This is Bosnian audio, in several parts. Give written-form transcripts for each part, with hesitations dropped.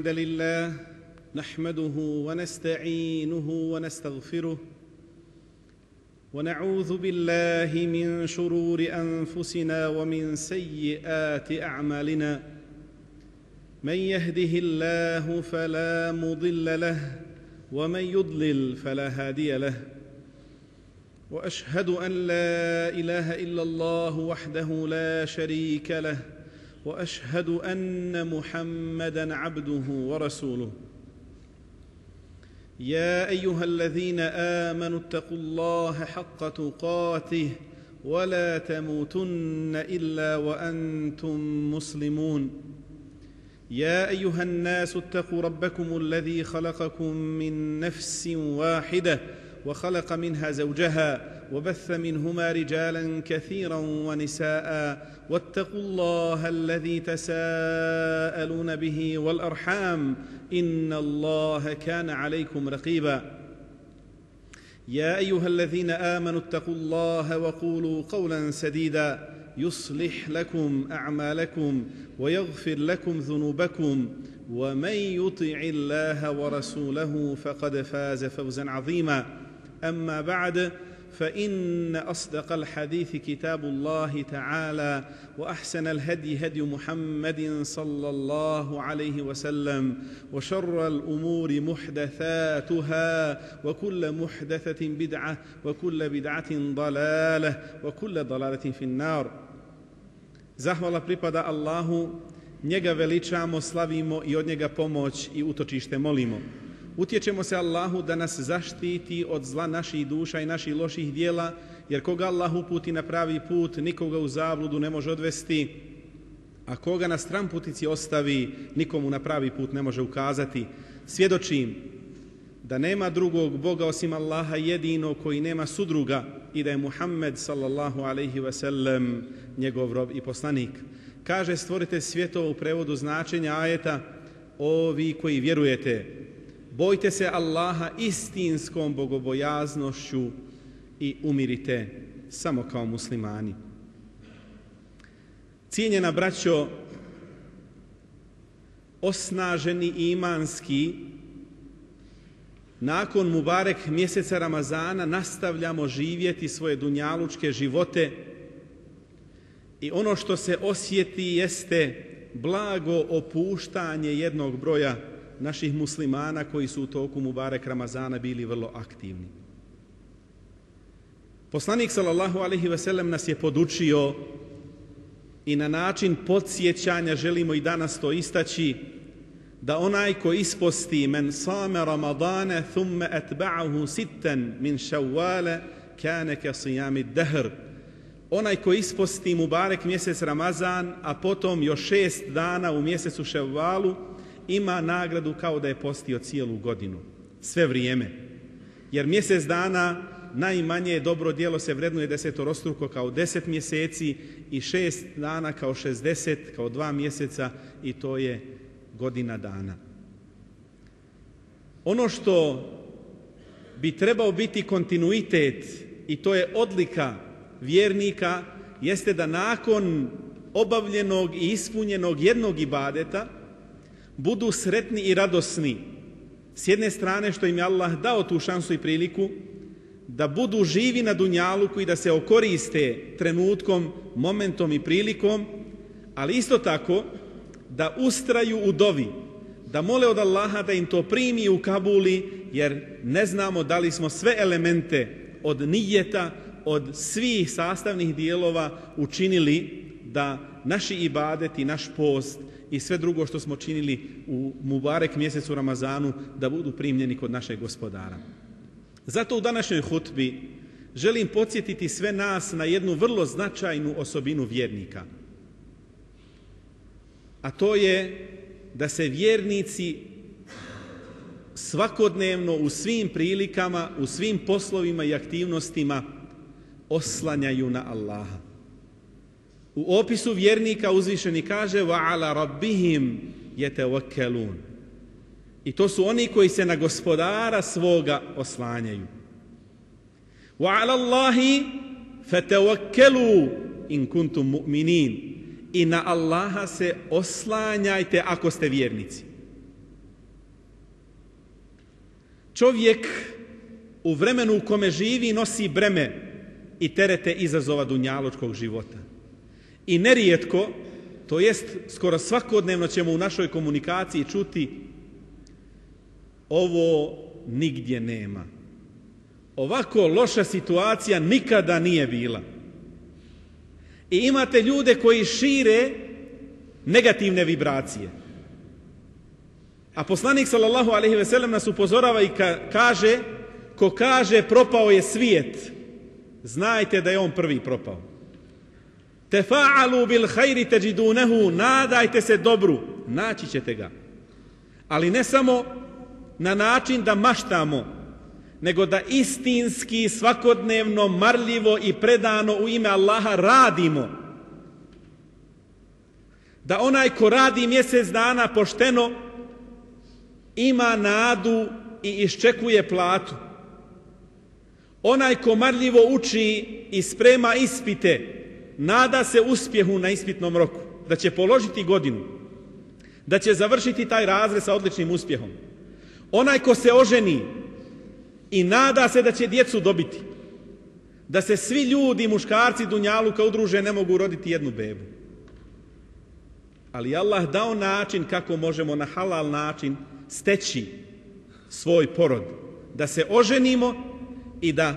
الحمد لله نحمده ونستعينه ونستغفره ونعوذ بالله من شرور أنفسنا ومن سيئات أعمالنا من يهده الله فلا مضل له ومن يضلل فلا هادي له وأشهد أن لا إله إلا الله وحده لا شريك له وأشهد أن محمدًا عبده ورسوله يا أيها الذين آمنوا اتقوا الله حق تقاته ولا تموتن إلا وأنتم مسلمون يا أيها الناس اتقوا ربكم الذي خلقكم من نفس واحدة وخلق منها زوجها وبث منهما رجالا كثيرا ونساء واتقوا الله الذي تساءلون به والأرحام إن الله كان عليكم رقيبا يا أيها الذين آمنوا اتقوا الله وقولوا قولا سديدا يصلح لكم أعمالكم ويغفر لكم ذنوبكم ومن يطع الله ورسوله فقد فاز فوزا عظيما أما بعد فإن أصدق الحديث كتاب الله تعالى وأحسن الهدي هدي محمد صلى الله عليه وسلم وشر الأمور محدثاتها وكل محدثة بدعة وكل بدعة ضلالة وكل ضلالة في النار. Zahvala pripada Allahu, njega veličamo, slavimo i od njega pomoć i utočište molimo. Utječemo se Allahu da nas zaštiti od zla naših duša i naših loših dijela, jer koga Allah uputi na pravi put, nikoga u zabludu ne može odvesti, a koga na stranputici ostavi, nikomu na pravi put ne može ukazati. Svjedočim da nema drugog Boga osim Allaha jedino koji nema sudruga i da je Muhammed sallallahu alejhi ve sellem njegov rob i poslanik. Kaže stvoritelj svjetova u prevodu značenja ajeta: o vi koji vjerujete, bojte se Allaha istinskom bogobojaznošću i umirite samo kao muslimani. Cijenjena braćo, osnaženi imanski, nakon Mubarek mjeseca Ramazana nastavljamo živjeti svoje dunjalučke živote i ono što se osjeti jeste blago opuštanje jednog broja naših muslimana koji su u toku Mubarek Ramazana bili vrlo aktivni. Poslanik sallallahu alejhi ve sellem nas je podučio i na način podsjećanja želimo i danas to istaći, da onaj ko isposti men same Ramadana thumma atba'ahu sittan min Shawwala kana ka siyami dahr, onaj ko isposti Mubarek mjesec Ramazan, a potom još 6 dana u mjesecu Ševvalu, ima nagradu kao da je postio cijelu godinu, sve vrijeme. Jer mjesec dana najmanje dobro djelo se vrednuje desetorostruko kao 10 mjeseci i 6 dana kao 60, kao 2 mjeseca i to je godina dana. Ono što bi trebao biti kontinuitet i to je odlika vjernika jeste da nakon obavljenog i ispunjenog jednog ibadeta budu sretni i radosni. S jedne strane što im je Allah dao tu šansu i priliku da budu živi na dunjaluku i da se okoriste trenutkom, momentom i prilikom, ali isto tako da ustraju u dovi, da mole od Allaha da im to primi u kabuli, jer ne znamo da li smo sve elemente od nijeta, od svih sastavnih dijelova učinili da naši ibadeti, naš post i sve drugo što smo činili u Mubarek mjesecu Ramazanu da budu primljeni kod našeg Gospodara. Zato u današnjoj hutbi želim podsjetiti sve nas na jednu vrlo značajnu osobinu vjernika. A to je da se vjernici svakodnevno u svim prilikama, u svim poslovima i aktivnostima oslanjaju na Allaha. U opisu vjernika uzvišeni kaže وَعَلَى رَبِّهِمْ يَتَوَكَّلُونَ. I to su oni koji se na Gospodara svoga oslanjaju. وَعَلَى اللَّهِ فَتَوَكَّلُوا إِن كُنتُم مُؤْمِنِينَ. I na Allaha se oslanjajte ako ste vjernici. Čovjek u vremenu u kome živi nosi breme i terete izazova dunjalučkog života. I nerijetko, to jest skoro svakodnevno ćemo u našoj komunikaciji čuti ovo nigdje nema. Ovako loša situacija nikada nije bila. I imate ljude koji šire negativne vibracije. A poslanik sallallahu alejhi ve sellem nas upozorava i kaže, ko kaže propao je svijet, znajte da je on prvi propao. Tefa'alu bil khayri tajidunahu, nadajte se dobru, naći ćete ga. Ali ne samo na način da maštamo, nego da istinski, svakodnevno, marljivo i predano u ime Allaha radimo. Da onaj ko radi mjesec dana pošteno ima nadu i iščekuje platu. Onaj ko marljivo uči i sprema ispite, nada se uspjehu na ispitnom roku, da će položiti godinu, da će završiti taj razred sa odličnim uspjehom. Onaj ko se oženi i nada se da će djecu dobiti, da se svi ljudi, muškarci dunjaluka udruže, ne mogu roditi jednu bebu. Ali Allah dao način kako možemo na halal način steći svoj porod, da se oženimo i da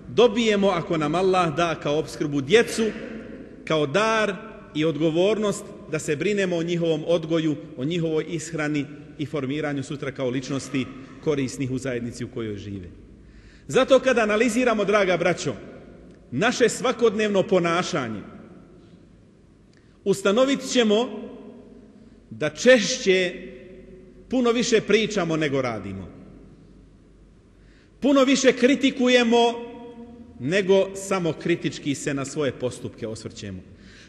dobijemo, ako nam Allah da kao opskrbu, djecu, kao dar i odgovornost da se brinemo o njihovom odgoju, o njihovoj ishrani i formiranju sutra kao ličnosti korisnih u zajednici u kojoj žive. Zato kada analiziramo, draga braćo, naše svakodnevno ponašanje, ustanovit ćemo da češće puno više pričamo nego radimo. Puno više kritikujemo nego samo kritički se na svoje postupke osvrćemo.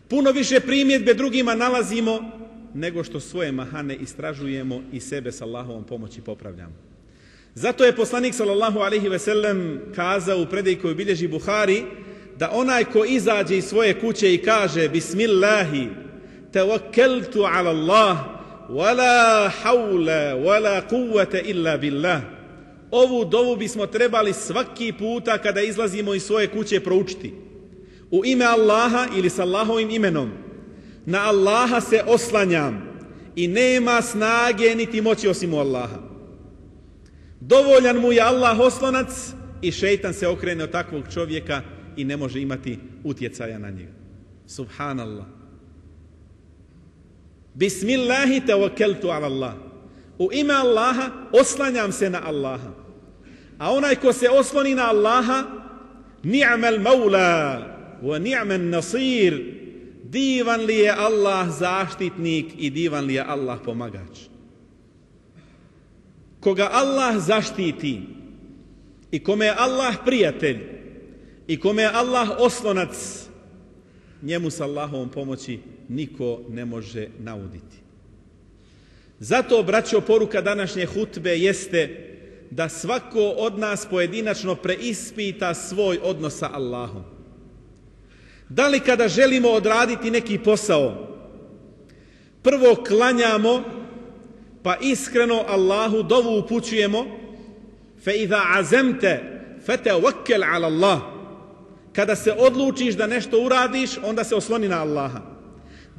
Puno više primjedbe drugima nalazimo nego što svoje mahane istražujemo i sebe s Allahovom pomoći popravljamo. Zato je poslanik sallallahu alejhi ve sellem kazao u predaji koju bilježi Buhari da onaj ko izađe iz svoje kuće i kaže Bismillahi tawakkaltu ala Allah wala hawla wala quwwata illa billah. Ovu dovu bismo trebali svaki puta kada izlazimo iz svoje kuće proučiti. U ime Allaha ili s Allahovim imenom. Na Allaha se oslanjam i nema snage niti moći osim u Allaha. Dovoljan mu je Allah oslonac i šejtan se okrene od takvog čovjeka i ne može imati utjecaja na njega. Subhanallah. Bismillahi tawakkaltu ala Allah. U ime Allaha oslanjam se na Allaha. A onaj ko se osloni na Allaha, ni'mal maula wa ni'man nasir. Divan li je Allah zaštitnik i divan li je Allah pomagač. Koga Allah zaštiti i kome je Allah prijatelj i kome je Allah oslonac, njemu s Allahovom pomoći niko ne može nauditi. Zato, braćo, poruka današnje hutbe jeste da svako od nas pojedinačno preispita svoj odnos sa Allahom. Da li kada želimo odraditi neki posao, prvo klanjamo, pa iskreno Allahu dovu upućujemo, fe iza azemte fetawakkal ala Allah. Kada se odlučiš da nešto uradiš, onda se osloni na Allaha.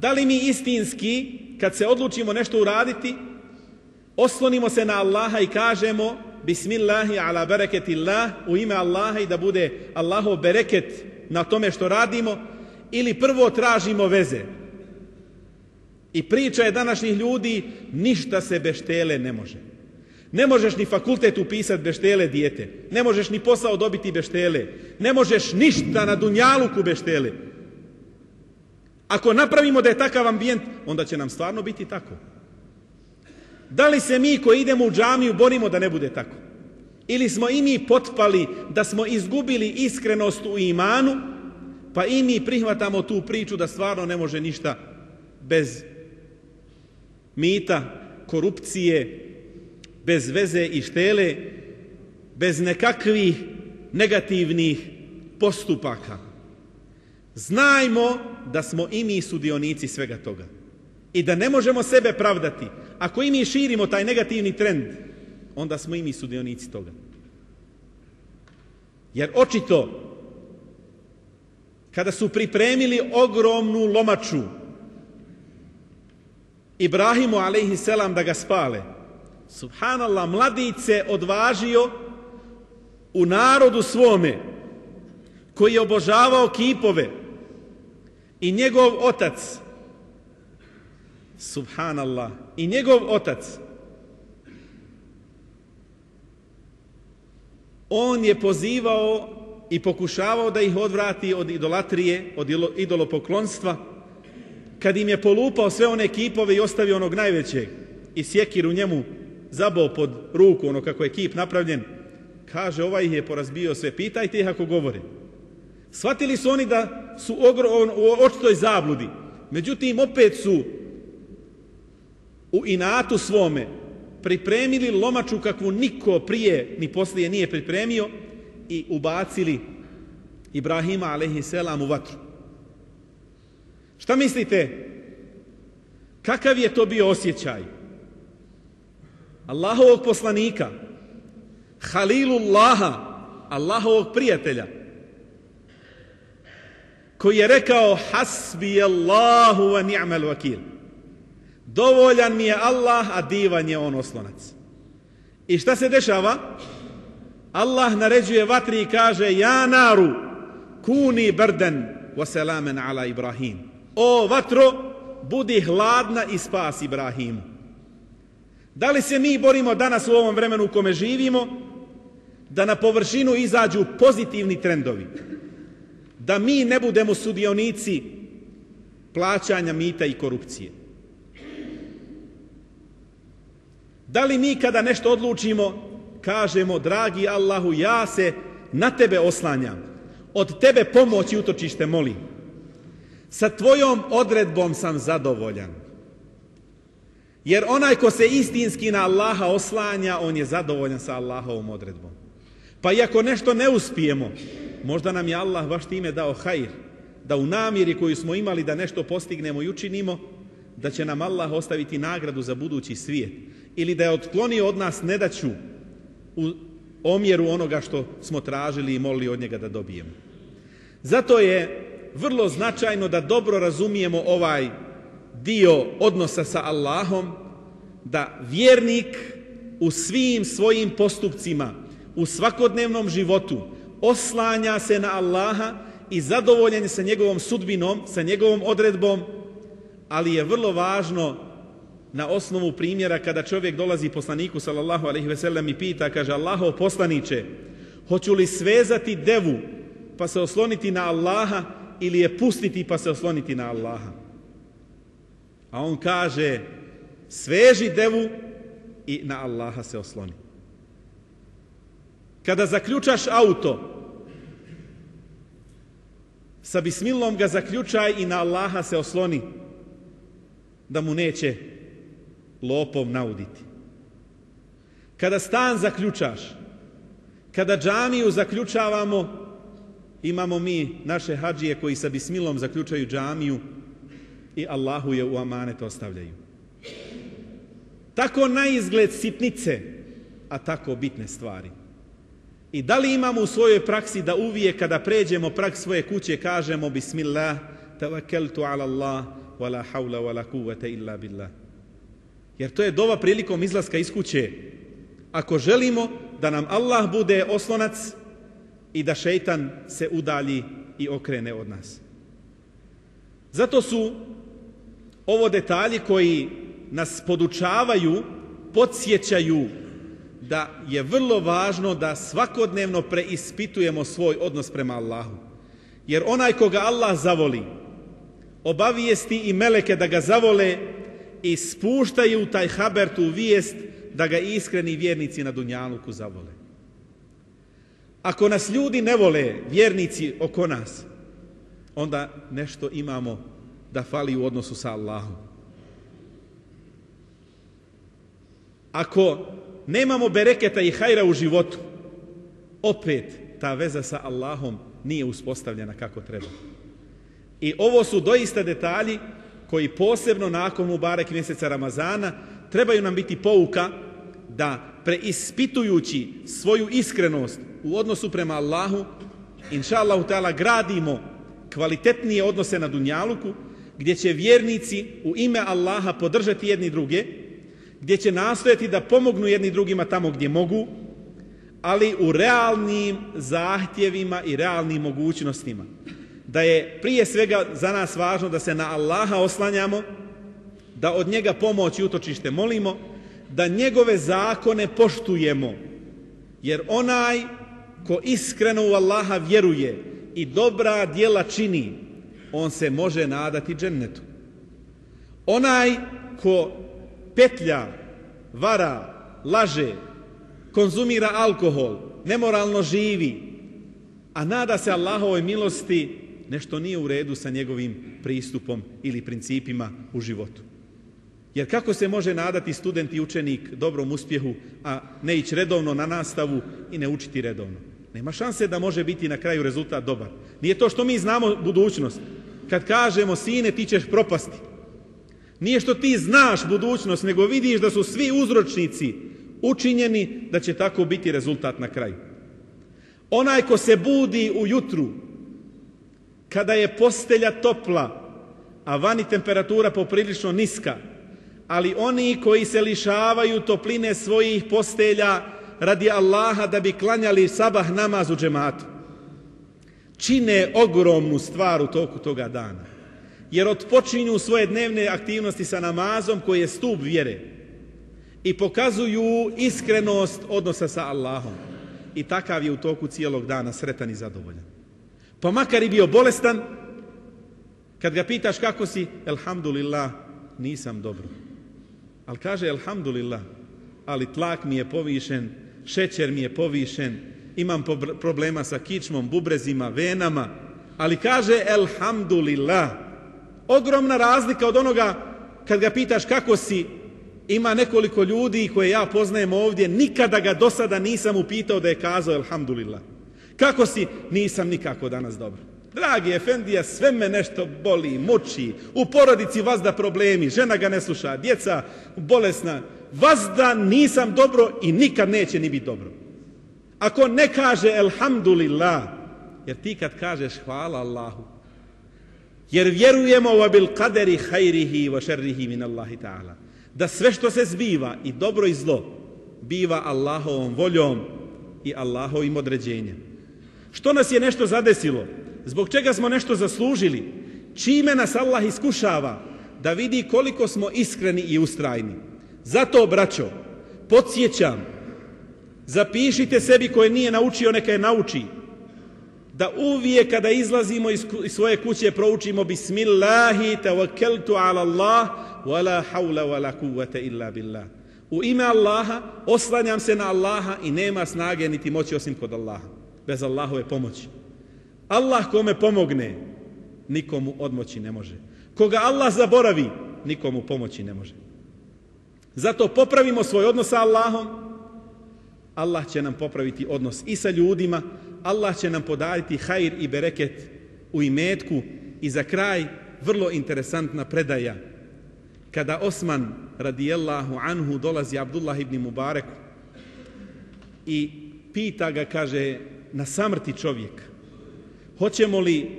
Da li mi istinski, kad se odlučimo nešto uraditi, oslonimo se na Allaha i kažemo Bismillahi ala bereketillah, u ime Allaha, i da bude Allahov bereket na tome što radimo, ili prvo tražimo veze? I priča je današnjih ljudi, ništa se bez štele ne može. Ne možeš ni fakultet upisati bez štele, dijete. Ne možeš ni posao dobiti bez štele. Ne možeš ništa na dunjaluku bez štele. Ako napravimo da je takav ambijent, onda će nam stvarno biti tako. Da li se mi koji idemo u džamiju borimo da ne bude tako? Ili smo i mi potpali da smo izgubili iskrenost u imanu, pa i mi prihvatamo tu priču da stvarno ne može ništa bez mita, korupcije, bez veze i štele, bez nekakvih negativnih postupaka. Znajmo da smo i mi sudionici svega toga i da ne možemo sebe pravdati. Ako i mi širimo taj negativni trend, onda smo i mi sudionici toga. Jer očito, kada su pripremili ogromnu lomaču Ibrahimu alejhiselam da ga spale, subhanallah, mladić se odvažio u narodu svome koji je obožavao kipove, i njegov otac, subhanallah, i njegov otac, on je pozivao i pokušavao da ih odvrati od idolatrije, od idolopoklonstva, kad im je polupao sve one kipove i ostavio onog najvećeg i sjekiru njemu zabao pod ruku, ono kako je kip napravljen, kaže, ovaj ih je porazbio sve, pitajte ih ako govore. Shvatili su oni da su u očitoj zabludi, međutim opet su u inatu svome pripremili lomaču kakvu niko prije ni poslije nije pripremio i ubacili Ibrahima alejhiselam u vatru. Šta mislite? Kakav je to bio osjećaj Allahovog poslanika, Halilullaha, Allahovog prijatelja, koji je rekao hasbi Allahu wa ni'mal vakil, dovoljan mi je Allah, a divan je on oslonac. I šta se dešava? Allah naređuje vatri i kaže, ja naru kuni brdan wa salaman ala Ibrahim, o vatro, budi hladna i spas Ibrahimu. Da li se mi borimo danas u ovom vremenu u kome živimo da na površinu izađu pozitivni trendovi, da mi ne budemo sudionici plaćanja mita i korupcije? Da li mi kada nešto odlučimo kažemo, dragi Allahu, ja se na tebe oslanjam, od tebe pomoć i utočište molim, sa tvojom odredbom sam zadovoljan? Jer onaj ko se istinski na Allaha oslanja, on je zadovoljan sa Allahovom odredbom. Pa i ako nešto ne uspijemo, možda nam je Allah baš time dao hajr, da u namjeri koju smo imali da nešto postignemo i učinimo, da će nam Allah ostaviti nagradu za budući svijet, ili da je otklonio od nas nedaću u omjeru onoga što smo tražili i molili od njega da dobijemo. Zato je vrlo značajno da dobro razumijemo ovaj dio odnosa sa Allahom, da vjernik u svim svojim postupcima, u svakodnevnom životu oslanja se na Allaha i zadovoljen je sa njegovom sudbinom, sa njegovom odredbom, ali je vrlo važno na osnovu primjera kada čovjek dolazi poslaniku sallallahu alejhi ve sellem i pita, kaže, Allahov poslanice, hoću li svezati devu pa se osloniti na Allaha ili je pustiti pa se osloniti na Allaha? A on kaže, sveži devu i na Allaha se osloni. Kada zaključaš auto, sa bismilom ga zaključaj i na Allaha se osloni, da mu neće lopov nauditi. Kada stan zaključaš, kada džamiju zaključavamo, imamo mi naše hadžije koji sa bismilom zaključaju džamiju i Allahu je u amanet ostavljaju. Tako na izgled sitnice, a tako bitne stvari. I da li imamo u svojoj praksi da uvijek kada pređemo prag svoje kuće kažemo bismillah, tawakkaltu ala Allah, wala hawla wala quwwata illa billah. Jer to je dova prilikom izlaska iz kuće. Ako želimo da nam Allah bude oslonac i da šejtan se udalji i okrene od nas. Zato su ovo detalji koji nas podučavaju, podsjećaju da je vrlo važno da svakodnevno preispitujemo svoj odnos prema Allahu. Jer onaj koga Allah zavoli, obavijesti i meleke da ga zavole i spuštaju taj haber, tu vijest, da ga iskreni vjernici na dunjaluku zavole. Ako nas ljudi ne vole, vjernici oko nas, onda nešto imamo da fali u odnosu sa Allahom. Ako nemamo bereketa i hajra u životu, opet ta veza sa Allahom nije uspostavljena kako treba. I ovo su doista detalji koji posebno nakon Mubarek mjeseca Ramazana trebaju nam biti pouka da preispitujući svoju iskrenost u odnosu prema Allahu, inša Allahu ta'ala, gradimo kvalitetnije odnose na dunjaluku, gdje će vjernici u ime Allaha podržati jedni druge, gdje će nastojati da pomognu jedni drugima tamo gdje mogu, ali u realnim zahtjevima i realnim mogućnostima. Da je prije svega za nas važno da se na Allaha oslanjamo, da od njega pomoć i utočište molimo, da njegove zakone poštujemo, jer onaj ko iskreno u Allaha vjeruje i dobra djela čini, on se može nadati džennetu. Onaj ko petlja, vara, laže, konzumira alkohol, nemoralno živi, a nada se Allahovoj milosti, nešto nije u redu sa njegovim pristupom ili principima u životu. Jer kako se može nadati student i učenik dobrom uspjehu, a ne ići redovno na nastavu i ne učiti redovno? Nema šanse da može biti na kraju rezultat dobar. Nije to što mi znamo budućnost. Kad kažemo sine ti ćeš propasti, nije što ti znaš budućnost, nego vidiš da su svi uzročnici učinjeni da će tako biti rezultat na kraju. Onaj ko se budi ujutru, kada je postelja topla, a vani temperatura poprilično niska, ali oni koji se lišavaju topline svojih postelja radi Allaha da bi klanjali sabah namaz u džematu, čine ogromnu stvar u toku toga dana. Jer otpočinju svoje dnevne aktivnosti sa namazom koji je stup vjere i pokazuju iskrenost odnosa sa Allahom. I takav je u toku cijelog dana sretan i zadovoljan. Pa makar i bio bolestan, kad ga pitaš kako si, elhamdulillah, nisam dobro. Ali kaže elhamdulillah, ali tlak mi je povišen, šećer mi je povišen, imam problema sa kičmom, bubrezima, venama, ali kaže elhamdulillah. Ogromna razlika od onoga kad ga pitaš kako si. Ima nekoliko ljudi koje ja poznajem ovdje, nikada ga do sada nisam upitao da je kazao elhamdulillah. Kako si? Nisam nikako danas dobro. Dragi efendija, sve me nešto boli, muči, u porodici vazda problemi, žena ga ne sluša, djeca bolesna, vazda nisam dobro i nikad neće ni biti dobro. Ako ne kaže elhamdulillah, jer ti kad kažeš hvala Allahu, jer vjerujemo wa bil qadari khairihi wa sharrihi min Allahi ta'ala, da sve što se zbiva i dobro i zlo biva Allahovom voljom i Allahovim određenjem. Što nas je nešto zadesilo? Zbog čega smo nešto zaslužili? Čime nas Allah iskušava? Da vidi koliko smo iskreni i ustrajni. Zato, braćo, podsjećam, zapišite sebi koje nije naučio, neka je nauči. Da uvijek kada izlazimo iz svoje kuće proučimo Bismillahi tawakkaltu ala Allah wala hawla wala quwwata illa billah. U ime Allaha oslanjam se na Allaha i nema snage niti moći osim kod Allaha. Bez Allahove pomoći. Allah kome pomogne, nikomu odmoći ne može. Koga Allah zaboravi, nikomu pomoći ne može. Zato popravimo svoj odnos sa Allahom. Allah će nam popraviti odnos i sa ljudima. Allah će nam podariti hajr i bereket u imetku. I za kraj, vrlo interesantna predaja. Kada Osman radijallahu anhu dolazi Abdullah ibn Mubarak i pita ga, kaže, na samrti čovjek, hoćemo li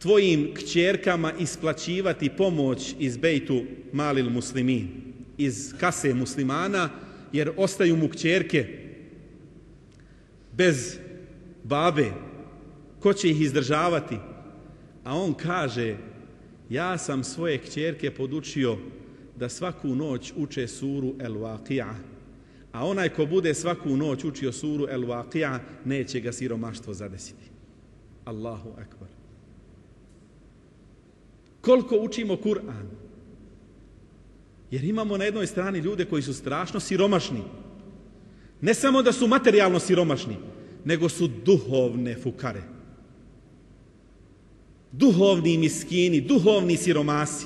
tvojim kćerkama isplaćivati pomoć iz Bejtu Malil Muslimin, iz kase muslimana, jer ostaju mu kćerke bez babe. Ko će ih izdržavati? A on kaže, ja sam svoje kćerke podučio da svaku noć uče suru El-Waqi'a, a onaj ko bude svaku noć učio suru El-Waqi'a, neće ga siromaštvo zadesiti. Allahu akbar. Koliko učimo Kur'an? Jer imamo na jednoj strani ljude koji su strašno siromašni. Ne samo da su materijalno siromašni, nego su duhovne fukare. Duhovni miskini, duhovni siromasi.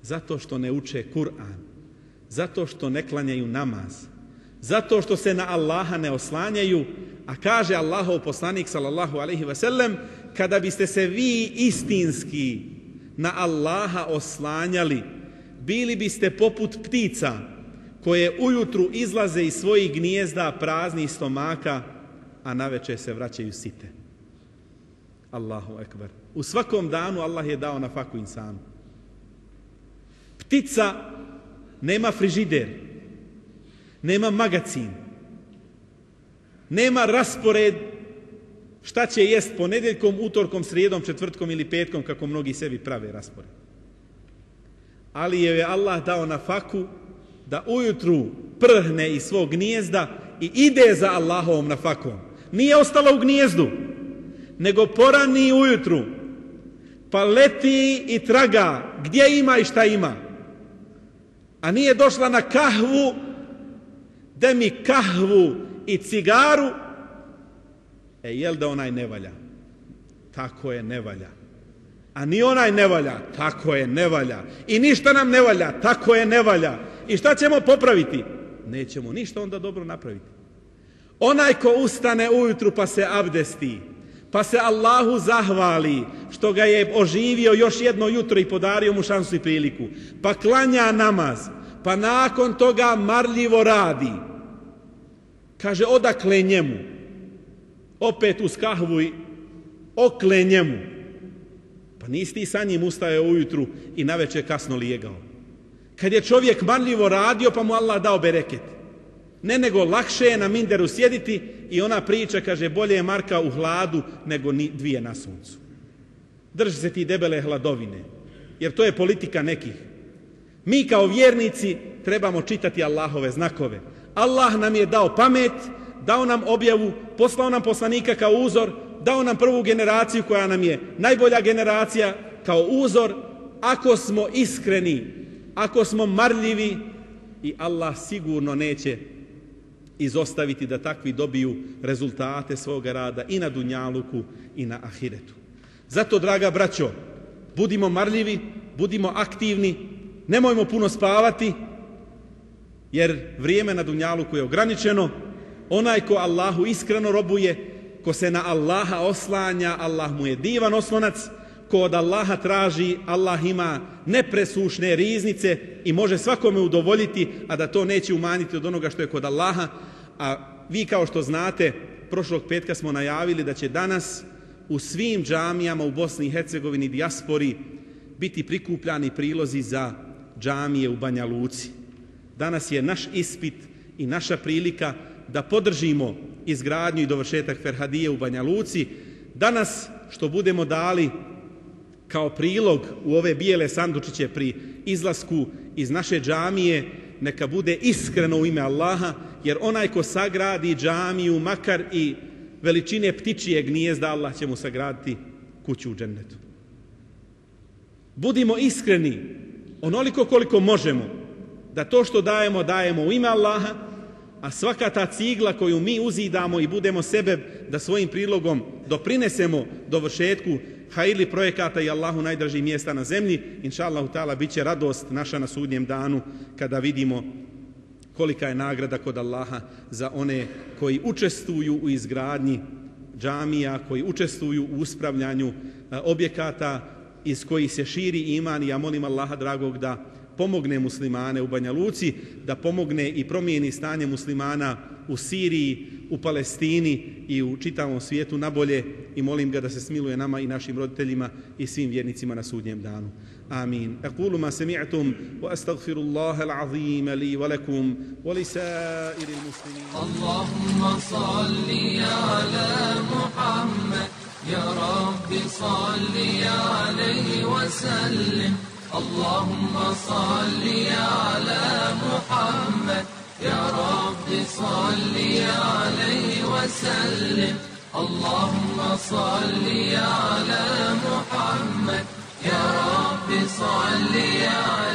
Zato što ne uče Kur'an, zato što ne klanjaju namaz, zato što se na Allaha ne oslanjaju, a kaže Allahov poslanik sallallahu alejhi ve sellem, kada biste se vi istinski na Allaha oslanjali, bili biste poput ptica koje ujutru izlaze iz svojih gnijezda praznih stomaka, a naveče se vraćaju site. Allahu ekber. U svakom danu Allah je dao nafaku insanu. Ptica nema frižider, nema magacin, nema raspored šta će jest ponedjeljkom, utorkom, srijedom, četvrtkom ili petkom, kako mnogi sebi prave raspored. Ali je Allah dao nafaku da ujutru prhne iz svog gnijezda i ide za Allahovom nafakom. Nije ostala u gnijezdu, nego porani ujutru, pa leti i traga gdje ima i šta ima. A nije došla na kahvu, da mi kahvu i cigaru, jel da onaj ne valja? Tako je, ne valja. A ni onaj ne valja, tako je, ne valja. I ništa nam ne valja, tako je, ne valja. I šta ćemo popraviti? Nećemo ništa onda dobro napraviti. Onaj ko ustane ujutru pa se abdesti, pa se Allahu zahvali što ga je oživio još jedno jutro i podario mu šansu i priliku, pa klanja namaz, pa nakon toga marljivo radi. Kaže, odakle njemu? Opet uz kahvu i okle njemu. Pa nisi ti sa njim ustajao ujutru i naveče kasno lijegao. Kad je čovjek marljivo radio, pa mu Allah dao bereket. Ne, nego lakše je na minderu sjediti i ona priča, kaže, bolje je marka u hladu nego dvije na suncu. Drži se ti debele hladovine, jer to je politika nekih. Mi kao vjernici trebamo čitati Allahove znakove. Allah nam je dao pamet, dao nam objavu, poslao nam poslanika kao uzor, dao nam prvu generaciju koja nam je najbolja generacija kao uzor. Ako smo iskreni, ako smo marljivi, i Allah sigurno neće izostaviti da takvi dobiju rezultate svoga rada i na dunjaluku i na ahiretu. Zato, draga braćo, budimo marljivi, budimo aktivni, nemojmo puno spavati, jer vrijeme na dunjaluku je ograničeno. Onaj ko Allahu iskreno robuje, ko se na Allaha oslanja, Allah mu je divan oslonac. Ko od Allaha traži, Allah ima nepresušne riznice i može svakome udovoljiti, a da to neće umanjiti od onoga što je kod Allaha. A vi, kao što znate, prošlog petka smo najavili da će danas u svim džamijama u Bosni i Hercegovini, dijaspori, biti prikupljani prilozi za džamije u Banja Luci. Danas je naš ispit i naša prilika da podržimo izgradnju i dovršetak Ferhadije u Banja Luci. Danas što budemo dali kao prilog u ove bijele sandučiće pri izlasku iz naše džamije, neka bude iskreno u ime Allaha, jer onaj ko sagradi džamiju, makar i veličine ptičije gnijezda, Allah će mu sagraditi kuću u džennetu. Budimo iskreni onoliko koliko možemo, da to što dajemo, dajemo u ime Allaha, a svaka ta cigla koju mi uzidamo i budemo sebe da svojim prilogom doprinesemo dovršetku hajrli projekata i Allahu najdražih mjesta na zemlji, inša Allahu ta'ala, bit će radost naša na sudnjem danu kada vidimo kolika je nagrada kod Allaha za one koji učestvuju u izgradnji džamija, koji učestvuju u uspravljanju objekata iz kojih se širi iman. I ja molim Allaha dragog da pomogne muslimane u Banja Luci, da pomogne i promijeni stanje muslimana u Siriji, u Palestini i u čitavom svijetu nabolje, i molim ga da se smiluje nama i našim roditeljima i svim vjernicima na sudnjem danu. آمين. أقول ما سمعتم وأستغفر الله العظيم لي ولكم ولسائر المسلمين. اللهم صل على محمد يا رب صل عليه وسلم. اللهم صل على محمد يا رب صل عليه وسلم. اللهم صل على محمد يا رب صل عليه